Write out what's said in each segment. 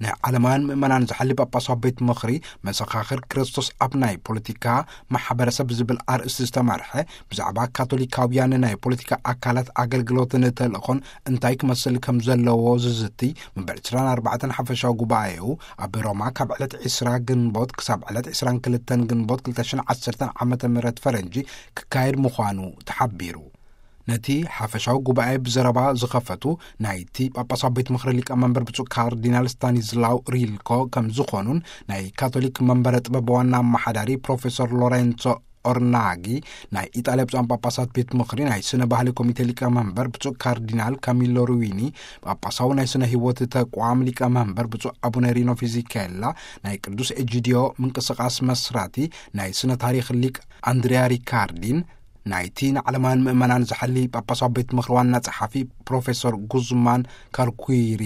ናይ ዓለማውያን ምእመናን ዝሓሊ ጳጳሳዊ ቤት ምኽሪ፣ መሰኻኽር ክርስቶስ ኣብ ናይ ፖለቲካ ማሕበረሰብ ዝብል ኣርእስቲ ዝተመርሐ፣ ብዛዕባ ካቶሊካውያን ናይ ፖለቲካ ኣካላት ኣገልግሎትን ተልእኾን እንታይ ክመስል ከም ዘለዎ ዝዝቲ፣ መበል ዕስራን ኣርባዕተን ሓፈሻዊ ጉባኤኡ ኣብ ሮማ ካብ ዕለት ዕስራ ግንቦት ክሳብ ዕለት ዕስራን ክልተን ግንቦት ክልተ ሽሕን ዓሰርተን ዓመተ ምህረት ፈረንጂ ክካየድ ምዃኑ ተሓቢሩ። ነቲ ሓፈሻዊ ጉባኤ ብዘረባ ዝኸፈቱ ናይቲ ጳጳሳዊ ቤት ምኽሪ ሊቀ መንበር ብፁዕ ካርዲናል ስታኒዝላው ሪልኮ ከም ዝኾኑን፣ ናይ ካቶሊክ መንበረ ጥበብ ዋና ኣመሓዳሪ ፕሮፌሰር ሎሬንሶ ኦርናጊ፣ ናይ ኢጣልያ ብፁዓን ጳጳሳት ቤት ምኽሪ ናይ ስነ ባህሊ ኮሚቴ ሊቀ መንበር ብፁዕ ካርዲናል ካሚሎ ሩዊኒ፣ ጳጳሳዊ ናይ ስነ ህይወት ተቋም ሊቀ መንበር ብፁዕ ኣቡነ ሪኖ ፊዚኬላ፣ ናይ ቅዱስ ኤጂዲዮ ምንቅስቃስ መስራቲ ናይ ስነ ታሪኽ ሊቅ ኣንድሪያ ሪካርዲን፣ ናይቲ ንዓለማውያን ምእመናን ዝሓሊ ጳጳሳዊ ቤት ምኽሪ ዋና ጸሓፊ ፕሮፌሰር ጉዝማን ካርኩይሪ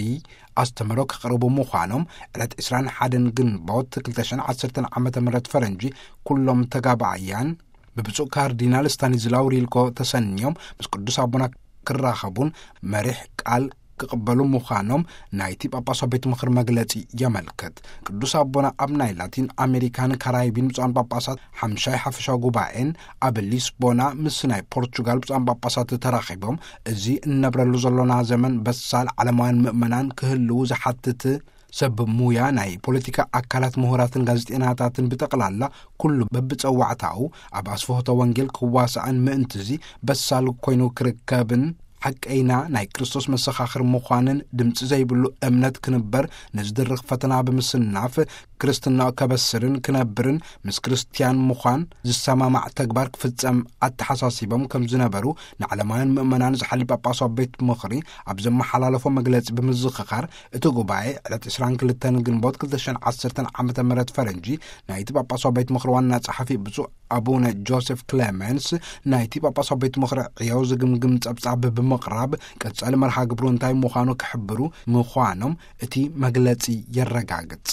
ኣስተምህሮ ከቕርቡ ምዃኖም፣ ዕለት ዕስራን ሓደን ግንቦት ክልተ ሽሕን ዓሰርተን ዓመተ ምህረት ፈረንጂ፣ ኩሎም ተጋባእያን ብብፁዕ ካርዲናል ስታኒዝላው ሪልኮ ተሰንዮም ምስ ቅዱስ ኣቦና ክራኸቡን መሪሕ ቃል ክቕበሉ ምዃኖም ናይቲ ጳጳሳዊ ቤት ምኽሪ መግለጺ የመልክት። ቅዱስ ኣቦና ኣብ ናይ ላቲን ኣሜሪካን ካራይቢን ብፁዓን ጳጳሳት ሓምሻይ ሓፈሻዊ ጉባኤን ኣብ ሊስቦና ምስ ናይ ፖርቹጋል ብፁዓን ጳጳሳት ተራኺቦም፣ እዚ እንነብረሉ ዘሎና ዘመን በሳል ዓለማውያን ምእመናን ክህልዉ ዝሓትት ሰብ ሙያ፣ ናይ ፖለቲካ ኣካላት፣ ምሁራትን ጋዜጠኛታትን ብጠቕላላ ኩሉ በብጸዋዕታኡ ኣብ ኣስፍሆተ ወንጌል ክዋሳእን ምእንትዚ በሳል ኮይኑ ክርከብን፣ ሓቀይና ናይ ክርስቶስ መሰኻኽር ምዃንን ድምፂ ዘይብሉ እምነት ክንበር ንዝድርኽ ፈተና ብምስናፍ፣ ክርስትና ከበስርን ክነብርን ምስ ክርስትያን ምዃን ዝሰማማዕ ተግባር ክፍጸም ኣተሓሳሲቦም ከም ዝነበሩ ንዓለማውያን ምእመናን ዝሓሊ ጳጳሳዊ ቤት ምኽሪ ኣብ ዘመሓላለፎ መግለጺ ብምዝኽኻር፣ እቲ ጉባኤ ዕለት ዕስራን ክልተን ግንቦት ክልተ ሽሕን ዓሰርተን ዓመተ ምህረት ፈረንጂ፣ ናይቲ ጳጳሳዊ ቤት ምኽሪ ዋና ጸሓፊ ብፁዕ ኣቡነ ጆሴፍ ክሌመንስ፣ ናይቲ ጳጳሳዊ ቤት ምኽሪ ዕዮ ዝግምግም ጸብጻብ ብምቕራብ፣ ቀጻሊ መርሃ ግብሩ እንታይ ምዃኑ ክሕብሩ ምዃኖም እቲ መግለጺ የረጋግጽ።